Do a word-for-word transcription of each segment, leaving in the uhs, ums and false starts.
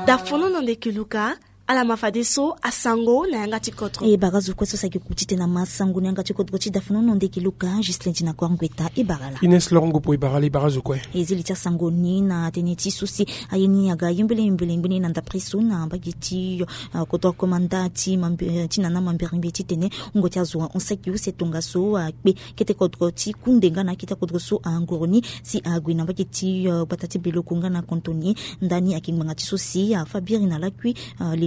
Dafono na ndeke luka. Ala ma fadeso asango na yanga ti kodro. E bara zo kue so saki kuti tena masango na yanga ti kodro ti dafono na ndeke luka juste lendi na kor ngweta e bara la. Ines lorongo po e bara la e bara zo kue. E zili ti asango ni na tene ti so si aye ni aga yembele yembele ngbene na ndapre so na mbage ti kodro komanda ti nana mambere mbi ti tene wungo ti azo ahon saki use tongaso akpe kete kodro ti kunde nga na akete kodro so angoro ni si ague na mbage ti gbata ti beloko nga na kantoni. Ndani ayeke ngbanga ti so si afa biri na lakui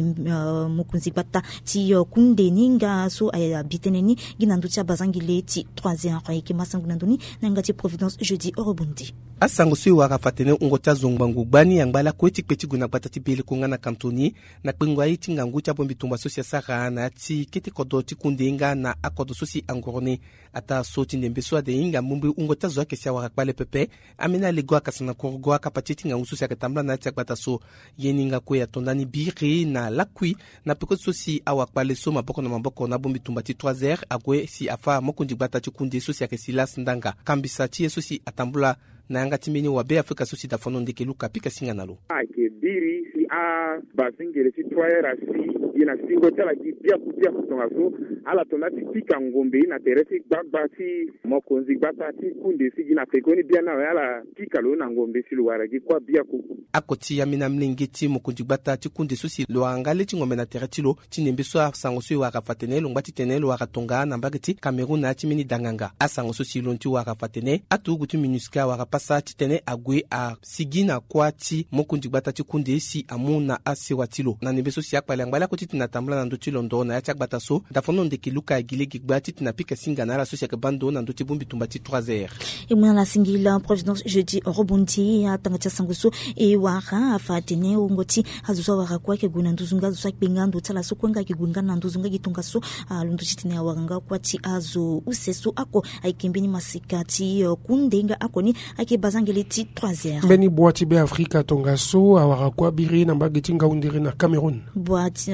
mokonzi gbata ti kunde ni nga so abi tënë ni gi na ndö ti abazangele ti trois heures ayeke masango na ndö ni na yanga ti providence jeudi orobondi. Asango so e wara fa tene wungo ti azo ngbangbo gbani angba lakue ti kpe ti gue na gbata ti beleko nga na kantoni na kpengo aye ti ngangu ti abombi tumba so si asara na ya ti kete kodro ti kunde nga na akodro so si angoro ni. Ataa so ti ndembe so ade hinga mbumbi wungo ti azo ayeke si awara kpale pepe. Ambeni alego akasa na kurugo akapa ti ye ti ngangu so si ayeke tambula na ya ti agbata so. Ye ni nga kue ato ndani biri na lakui na peko ti so si awakpale so maboko na maboko na abombi tumba ti trois heures ague si afa mokonzi gbata ti kunde so si ayeke silas ndanga kambisa ti ye so si atambula na yanga ti mbeni wabe afrika so si dafono ndeke luka pika singa na lo. Ayeke biri si abazengele ti trois heures asi gi na singo ti ala gi biaku biaku tongaso ala to nda ti pika ngombe na tere ti gbagba ti mokonzi gbata ti kunde si gi na pekoni biani awe ala pika lo na ngombe si lo wara gi kuâ biaku. Akoti ambeni amolenge ti mokonzi gbata ti kunde so si lo wara nga le ti ngombe na tere ti lo ti ndembe so asango so e wara fa tene lo ngba ti tene lo wara tonga na mbage ti cameroun na ya ti mbeni danganga asango so si lo ni ti wara fa tene aturugu ti minusca awara pasa titene ague asigi na kuâ ti mokonzi gbata ti kunde si amu na asewa ti lo na ndembe so si akpale angba lakue titene atambula na ndö ti londo na ya ti agbata so. Dafono ndeke luka agi lege gbaa titene apika singa na ala so si ayeke baa ndo na ndö ti bongbi tumba ti trois heures. E mu na ala singila providence jeudi orobondi atanga ti asango so e wara afa atene wungo ti azo so awara kue ayeke gue na nduzu nga azo so akpe nga ndo ti ala so kue nga ayeke gue nga na nduzu nga gi tongaso. Alondo titene awara nga kuâ ti azo use so oko ayeke mbeni masika ti kunde nga oko ni ayeke bazangele ti trois heures. Mbeni bua ti be afrika tongaso awara kuâ biri na mbage ti ngaundere na cameroun. Bua ti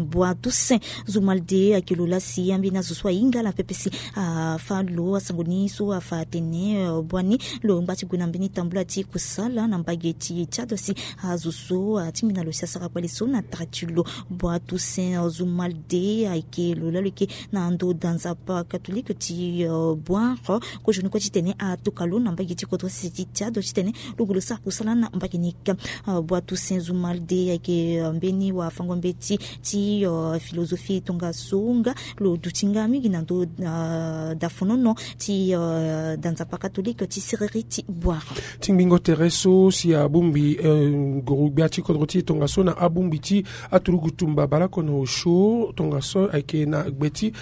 bua toussaint zumalde ayeke lo laa si ambeni azo so ahinga ala pepe si afa lo asango ni so afa atene bua ni lo ngba ti gue na mbeni tambula ti kusala na mbage ti tchad si azo so atingbi na lo si asara kpale so na tara ti lo. Bua toussaint zumalde ayeke lo laa lo yeke na ndo da nzapa katolike ti boiro kozoni kue titene atoka lo na mbage ti kodro sese ti tchad titene lo gue lo sara kusala na mbage ni ka. Bua toussaint zumalde ayeke mbeni wafango mbeti ti filozofi tongaso nga lo duti nga mingi na ndo dafonono ti da nzapa katolike ti siriri ti boiro. Ti ngbingo tere so si abongbi nguru-gbia ti kodro ti e tongaso na abongbi ti aturugu tumba baleoko na osio tongaso ayeke na gbe ti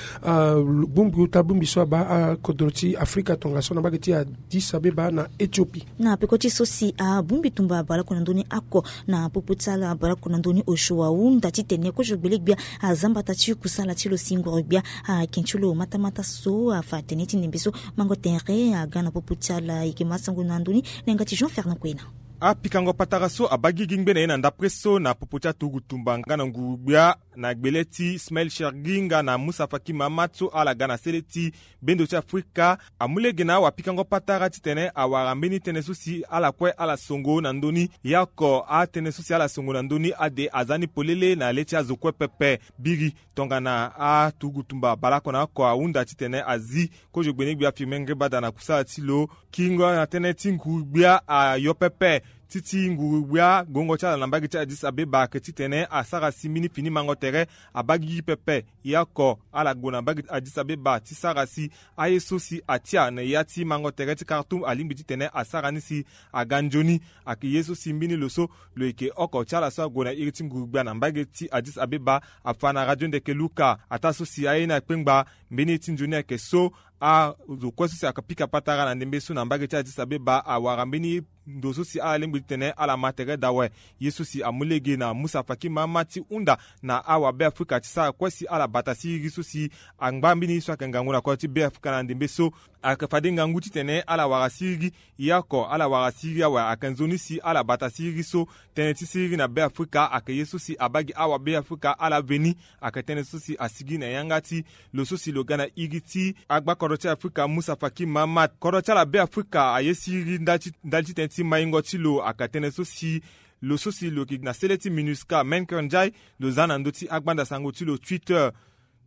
bongbi ota bongbi so abaa akodro ti afrika tongaso na mbage ti addis abeba na ethiopie. Na peko ti so si abongbi tumba baleoko na ndö ni oko na popo ti ala baleoko na ndö ni osio ahunda titene kozo gbele-gbia aza mbata ti kusala ti lo si nguru-gbia ake ti lo matamata so afa atene ti ndembe so mango tere aga na popo ti ala ayeke masango na ndö ni na yanga ti jean fernand kuena. Apikango patara so abaa gigi ngbene ye na ndapre so na popo ti aturugu tumba nga na nguru-gbia na gbele ti smail shergi nga na musa faki mahamat so ala ga na sele ti bendo ti afrika amu lege na awapikango patara titene awara mbeni tënë so si ala kue ala songo na ndö ni. Ye oko atënë so si ala songo na ndö ni ade aza ni polele na le ti azo kue pepe. Biri tongana aturugu tumba baleoko na oko ahunda titene azi kozo gbene-gbia firme ngribada na kusala ti lo. Kingo na tënë ti nguru-gbia ayo pepe ti ti nguru-gbia gongo ti ala na mbage ti addis abeba ayeke titene asara si mbeni fini mango tere abaa gigi pepe. Ye oko ala gue na mbage ti addis abeba ti sara si aye so si atia na ya ti mango tere ti kartoum alingbi titene asara ni si aga nzoni. Ayeke ye so si mbeni lo so lo yeke oko ti ala so ague na iri ti nguru-gbia na mbage ti addis abeba afa na radio ndeke luka ataa so si aye ni akpengba mbeni ye ti nzoni ayeke so azo kue so si ayeke pika patara na ndembe so na mbage ti addis abeba awara mbeni ndo so si ala lingbi kpe titene ala ma tere daa awe. Ye so si amu lege na Musa Faki Mahamat ti hunda na awabeafrika ti sara kue si ala bata siriri so si angba mbeni ye so ayeke ngangu na kodro ti Beafrika na ndembe so. Ayeke fade ngangu titene ala wara siriri. Ya oko ala wara siriri awe ayeke nzoni si ala bata siriri so. Tënë ti siriri na Beafrika ayeke ye so si abaa gi awabeafrika ala veni. Ayeke tënë so si asigi na yanga ti lo so si lo ga na iri ti agbakodro ti Afrika Musa Faki Mahamat. Kodro ti ala Beafrika aye siriri ndali ti, ndali ti tënë ti maingo ti lo ayeke tënë so si lo so si lo yeke na sele ti MINUSCA Menker Ndiaye lo za na ndö ti agbanda sango ti lo Twitter.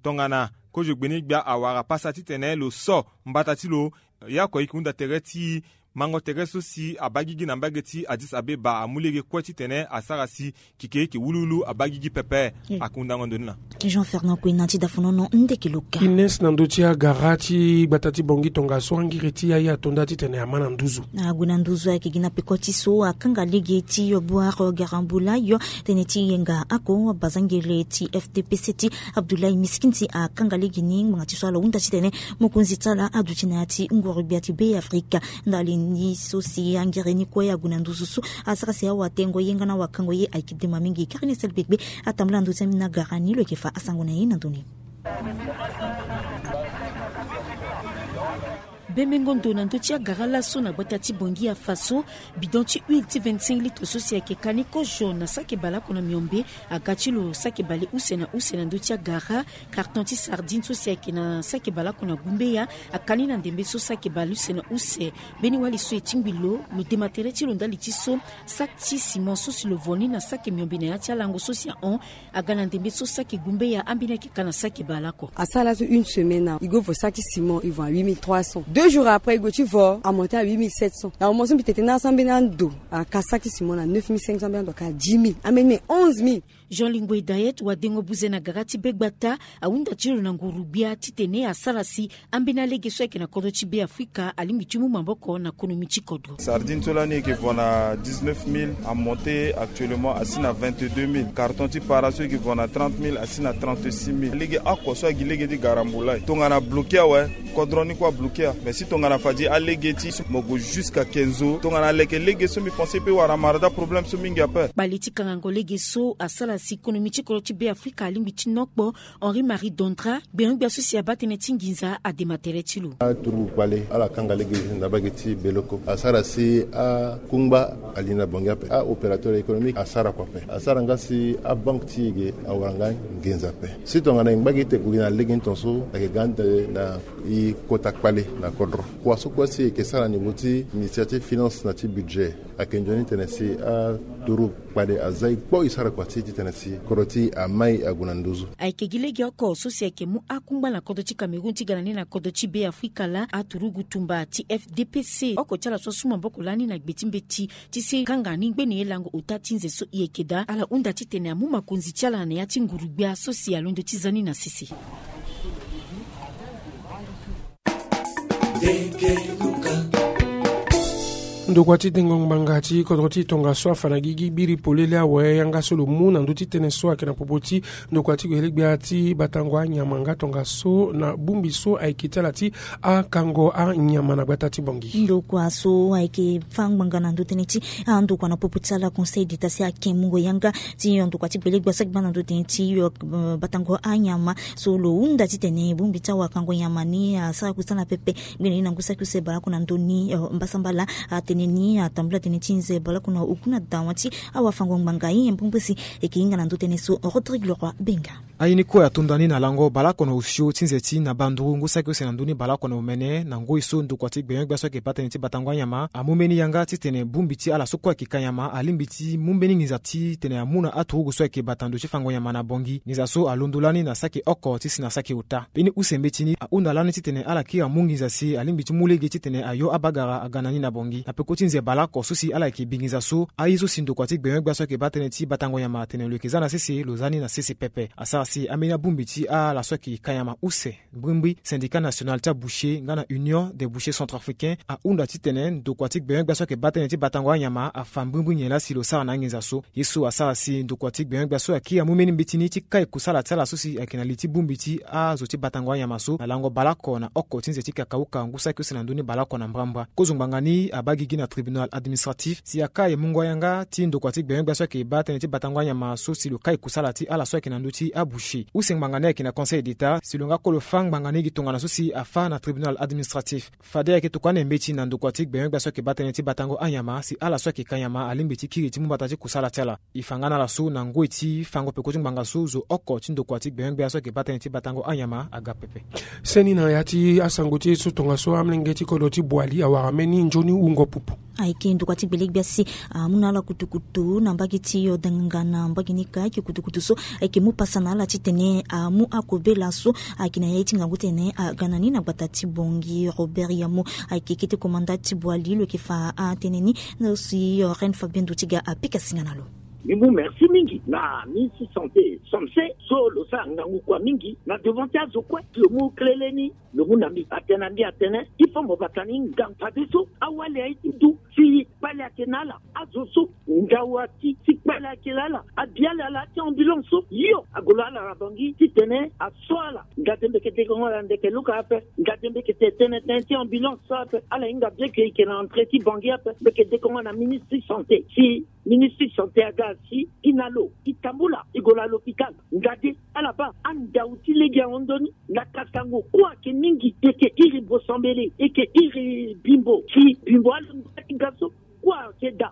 Tongana kozo gbeni-gbia awara pasa titene lo so mbata ti lo. Ya oko e yeke hunda tere ti mango tere so si abaa gigi na mbage ti Addis Abeba amu lege kue titene asara si keke e yeke wuluwulu abaa gigi pepe. Akundango ndo ni na Jean Fernand Kouena ti dafonono ndeke loka. Ines na ndö ti agara ti gbata ti Bangui tongaso angiri ti aye ato nda titene ama na nduzu. Ague na nduzu ayeke gi na peko ti so akanga lege ti yo boire garambula yo. Tënë ti yenga ako abazangele ti F D P C ti Abdoulaye Miskinti akanga lege ni ngbanga ti so ala hunda titene mokonzi ti ala aduti na ya ti nguru-gbia ti Beafrika. Ndali ni so si angiri ni kue ague na nduzu so asara si awatengo ye nga na awakango ye ayeke dema mingi. Karine Selbegbe atambula na ndö ti ambeni agara ni lo yeke fa asango na ye na ndö ni. Bembengo ndo na ndö ti agara laso na gbata ti Bangui afa so. Bidon ti huile ti vingt-cinq litres so si ayeke kani kozo na saki baleoko na miombe aga ti lo saki bale use na use na ndö ti agara. Carton ti sardine so si ayeke na saki baleoko na gumbeya akani na ndembe so saki bale use na use. Mbeni wali so e tingbi lo lo dema tere ti lo ndali ti so saki ti ciment so si lo vo ni na saki miombe na ya ti alango so si ahon aga na ndembe so saki gumbeya ambeni ayeke ka na saki baleoko. Asara laso une semaine awe e go vo saki ciment e vo na huit mille trois cents. Deux jours après e go ti vo amonte na huit mille sept cents. Na moment so mbi tete na aso ambeni ando aka saki ciment na neuf mille cinq cents, ambeni ando aka dix mille, ambeni me onze mille. Jean Lingwe Dayet wadengo buze na gara ti be gbata ahunda ti lo na nguru-gbia titene asara si ambeni alege so ayeke na kodro ti Beafrika alingbi ti mu maboko na konomi ti kodro. Sardine so lani e yeke vo na dix-neuf mille, amonte actuellement asi na vingt-deux mille. Carton ti para so e yeke vo na trente mille asi na trente-six mille. Lege oko so agi lege ti garambula e tongana bloke awe. Kodro ni kue abloke a mais si tongana fadi alege ti so mo gue jusqu'à quinze jours tongana aleke lege so mbi pense pe wara mara da problème so mingi ape. Bale ti kangango lege so asara si konomi ti kodro ti Beafrika alingbi ti nokpo. Henri Marie Dondra gbenyo-gbia so si abaa tënë ti nginza adema tere ti lo. Aturugu kpale ala kanga lege na mbage ti Beloko asara si akungba ali na Bangui ape. Aopérateur économique asara kua ape. Asara nga si abanque ti e ge awara nga nginza ape. Si tongana e ngba gi ete gue gi na lege ni tongaso ayeke ga ande na e kota kpale na kodro. Kua so kue si e yeke sara na niveau ti ministère ti finance na ti budget ayeke nzoni titene si aturugu kpale aza e kpo e sara kua ti e titene si kodro ti e amai ague na nduzu. Ayeke gi lege oko so si ayeke mu akungba na kodro ti Cameroun ti ga na ni na kodro ti Beafrika laa. Aturugu tumba ti F D P C oko ti ala so asu maboko lani na gbe ti mbeti ti si kanga ni ngbene ye lango ota ti nze so e yeke daa. Ala hunda titene amu makonzi ti ala na ya ti nguru-gbia so si alondo ti za ni na sese. Ndokua ti dengo ngbanga ti kodro ti tongaso afa na gigi biri polele awe yanga so lo mu na ndö ti tënë so ayeke na popo ti ndokua ti gbele-gbia ti batango anyama nga tongaso na bongbi so ayeke ti ala ti akango anyama na gbata ti Bangui. Ndokua so ayeke fâ ngbanga na ndö tënë ti andokua na popo ti ala Conseil d'État si ake mungo yanga ti ndokua ti gbele-gbia so ayeke baa na ndö tënë ti batango anyama. So lo hunda titene bongbi ti awakango nyama ni asara kusala pepe. Ngbene ni na ngu saki use baleoko na ndö ni mbasambala atene ni atambula tënë ti nze baleoko na oku na dawa ti awafango ngbanga ye mbongbosi. Eke hinga na ndö tënë so Rodrigue Leroy Benga. Aye ni kue ato nda ni na lango baleoko na osio ti nze ti na banduru ngu saki use na ndö ni baleoko na omene na ngoi so ndokua ti gbenyo-gbia so ayeke baa tënë ti batango anyama amu mbeni yanga titene bongbi ti ala so kue ayeke ka nyama alingbi ti mu mbeni nginza titene amu na aturugu so ayeke bata ndo ti fango nyama na Bangui. Nginza so alondo lani na saki oko ti si na saki ota. Mbeni use mbeti ni ahunda lani titene ala kiri amu nginza si alingbi ti mu lege titene ayo abagara aga na ni na Bangui na peko ti nze baleoko so si ala yeke bi nginza so. Aye so si ndokua ti gbenyo-gbia so ayeke baa tënë ti batango nyama atene lo yeke za na sese lo za ni na sese pepe. Asara Si ambeni abongbi ti ala so ayeke ka nyama use, mbrimbri syndicat national ti aboucher nga na union des bouchers centrafricains ahunda titene ndokua ti gbenyo-gbia so ayeke baa tënë ti batango anyama afa mbrimbri nyen laa si lo sara na anginza so. Ye so asara si ndokua ti gbenyo-gbia so ayeke kiri amu mbeni mbeti ni ti kai kusala ti ala so si ayeke na li ti bongbi ti azo ti batango anyama so na lango baleoko na oko ti nze ti kakauka ngu saki use na ndö ni baleoko na mbrambra. Kozo ngbanga ni abaa gigi na tribunal administratif si akai mungo yanga ti ndokua ti gbenyo-gbia so ayeke baa tënë ti batango anyama so si lo kai kusala ti ala so ayeke na ndö ti aboucher. Use ngbanga ni ayeke na Conseil d'État si lo nga kolo fâ ngbanga ni gi tongana so si afâ na tribunal administratif. Fade ayeke tokua na mbeti na ndokua ti gbenyo-gbia so ayeke baa tënë ti batango anyama si ala so ayeke ka nyama alingbi ti kiri ti mu mbata ti kusala ti ala. E fa nga na ala so na ngoi ti fango peko ti ngbanga so zo oko ti ndokua ti gbenyo-gbia so ayeke baa tënë ti batango anyama aga pepe. Seni na ya ti asango ti e so tongaso amolenge ti kodro ti Boali awara mbeni nzoni wungo pupu. Ayeke ndokua ti gbele-gbia si amu na ala kutukutu na mbage ti Odenganga na mbage ni ka ayeke kutukutu so ayeke mu pasa na ala titene amu akobela so ayeke na ya ye ti ngangu titene aga na ni na gbata ti Bangui. Robert Yamo ayeke kete komanda ti Boali lo yeke fa atënë ni na lo si Reine Fabien Duti ga apika singa na lo. Mbi mu merci mingi na ministre ti santé Samse so lo sara ngangu kua mingi na devant ti azo kue. Lo mu kele leni, lo mu na mbi atene na mbi atene il faut mo bata ni ngangu fadeso awali aye ti du si kpale ayeke na ala. Azo so ndawa ti si kpale ayeke na ala, abi ala ala ti ambulance so yo ague lo ala na Bangui titene aso ala. Ngade mbi yeke dekongo ala ndeke luka ape. Ngade mbi yeke tene tënë ti ambulance so ape. Ala hinga bien ke e yeke na entrée ti Bangui ape. Mbi yeke dekongo na ministre ti santé si ministre ti santé aga si e na lo e tambula e gue na l'hôpital. Ngade ala baa andau ti lege ahon ndoni na kasango kue ayeke mingi. E yeke iri bosambele, e yeke iri bimbo si bimbo alingba ti ga so kue ayeke daa.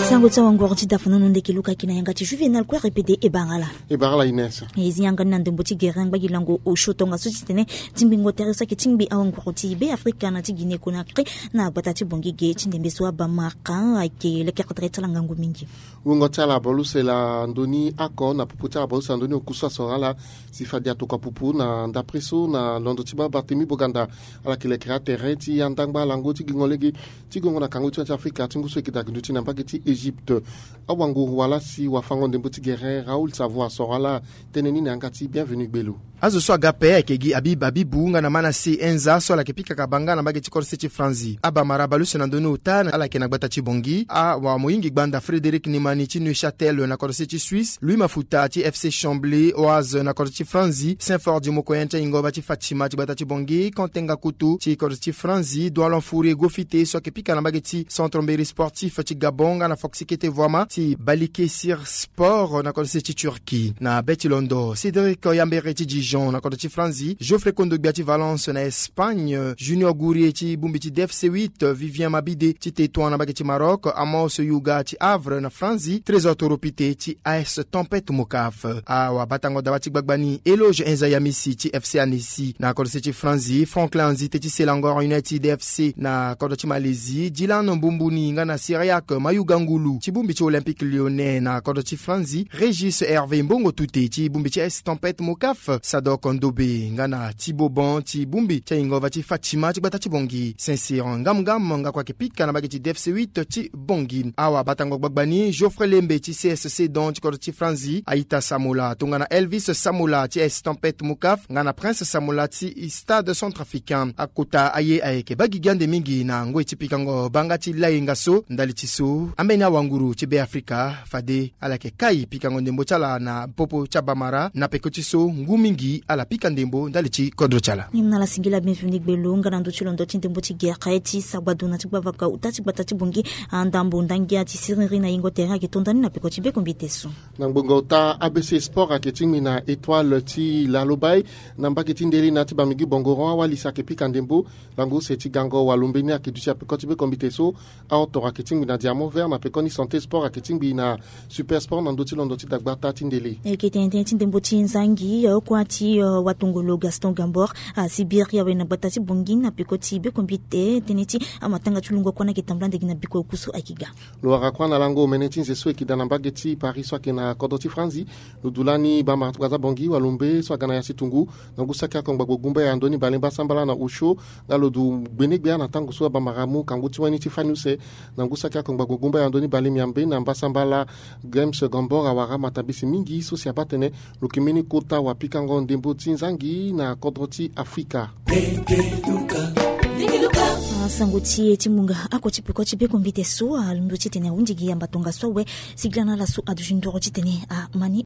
Sango ti awangoro ti dafanono ndeke luka ayeke na yanga ti Juvenal Kouare Pede e bara ala. E bara ala Ines. E zi yanga ni na ndembo ti gere ngbagi lango osio tongaso titene tingbingo tere so ayeke tingbi awanguru ti Be Afrika na ti Guinée Conakry na gbata ti Bangui ge ti ndembe so abamara ayeke lekere tere ti ala ngangu mingi. Wungo ti ala baleuse na ndö ni oko na popo ti ala baleuse na ndö ni oku so asoro ala si fade atokua pupu na ndapre so na londo ti baa Barthélemy Boganda. Ala yeke lekere atere ti andangba lango ti gingo lege ti gongo na kango ti Afrika ti ngu so eke daa gi nduti na mbage ti Égypte. Awanguru wala si wafango ndembo ti gere Raoul Savoie asoro ala tënë ni na yanga ti Bienvenu Gbelo. Azo so aga ape ayeke gi Habib Habibou nga na Manassé Enza so ala yeke pika kabanga na mbage ti kodro se ti Franzi. Abamara baleuse na ndö ni ota ala yeke na gbata ti Bangui. Awamoyingi gbanda Frédéric Nimani ti Neuchâtel na kodro se ti Suisse, Louis Mafuta ti FC Chambly Oise na kodro ti Franzi, Saint-Ford Mokoyen ti ayingoba ti Fatima ti gbata ti Bangui, Kantenga Kutu ti kodro ti Franzi, Doualon Fourier Gofite so ayeke pika na mbage ti Centre Mberi Sportif ti Gabon nga na Foxy Kete Voama ti Balikesir Sport na kodro se ti Turquie. Na be ti londo, Cédric Yambere ti Dijon na kodro ti Franzi, Geoffrey Kondogbia ti Valence na Espagne, Junior Gourie ti bongbi ti D F C huit, Vivien Mabide ti Tétouan na mbage ti Maroc, Amos Yuga ti Havre na Franzi, Trésor Toropite ti A S Tempête Mokaf. Awabatango daba ti gbagba ni, Eloge Enza Yamisi ti F C Annecy na kodro se ti Franzi, Franklin Anzite ti Selangor United F C na kodro ti Malaisie, Dylan Mbumbuni nga na Cyriaque Mayuga Ngulu ti bongbi ti Olympique Lyonnais na kodro ti Franzi, Régis Hervé Mbongo Tute ti bongbi ti A S Tempête Mokaf, Sadok Ndobe nga na Thibaut Bon ti bongbi ti ayingoba ti Fatima ti gbata ti Bangui, Saint-Cyr Ngam Ngam nga kua yeke pika na mbage ti D F C huit ti Bangui. Awabatango gbagba ni, Geoffrey Lembe ti C S Sedan ti kodro ti Franzi, Aïta Samola tongana Elvis Samola ti A S Tempête Mokaf nga na Prince Samola ti Stade Centrafricain. Akota aye ayeke baa gigi ande mingi na ngoi ti pikango banga ti layenga so. Ndali ti so, ambeni awanguru ti Be Afrika fade ala yeke kai pikango ndembo ti ala na popo ti abamara. Na peko ti so, ngu mingi ala pika ndembo ndali ti kodro ti ala. Ni mu na ala singila Bienvenu Gbelo nga na ndö ti londo ti ndembo ti gere ti sagbadu na ti gbavaka ota ti gbata ti Bangui. Andambo ndangia ti siriri na yingo tere ayeke to ndani na peko ti bekombite so. Na ngbongo ota, A B C Sport ayeke tingbi na Étoile ti Lalobaye. Na mbage ti ndeli na ya ti Bamingui Bongoron, awali si ayeke pika ndembo lango use ti gango walo mbeni ayeke duti na peko ti bekombite so. Aotoro ayeke tingbi na Diamant Vert, na pekoni Santé Sport ayeke tingbi na Super Sport na ndö ti londo ti dagbata ti ndele. E yeke tene tënë ti ndembo ti nzangi, eh, oko ati Ti watongolo Gaston Gambor asibiri awe na gbata ti Bongi na peko ti bekombite tënë ti amatanga ti lungo kua na yeke tambula ndege na biko oku so ayeke ga. Lo wara kua na lango omene ti nze so eke daa na mbage ti Paris so ayeke na kodro ti Franzi. Lo du lani bamara ti Brazza Bongi walombe so aga na ya ti tungu na ngu saki akongba gbogumba ya ndoni bale mbasambala na osio. Nga lo du gbenegbia na tango so abamara amu kangu ti wani ti fani use na ngu saki akongba gbogumba ya ndoni bale miambe na mbasambala. Games Gambor awara matabisi mingi so si abaa tene lo yeke mbeni kota wapikango ndembo ti nzangi na kodro ti Afrika. Asango ti e ti munga ako ti peko ti bekombite so alondo titene ahunzi gi yamba tongaso awe. Sigila na ala so aduti ndoro titene amani.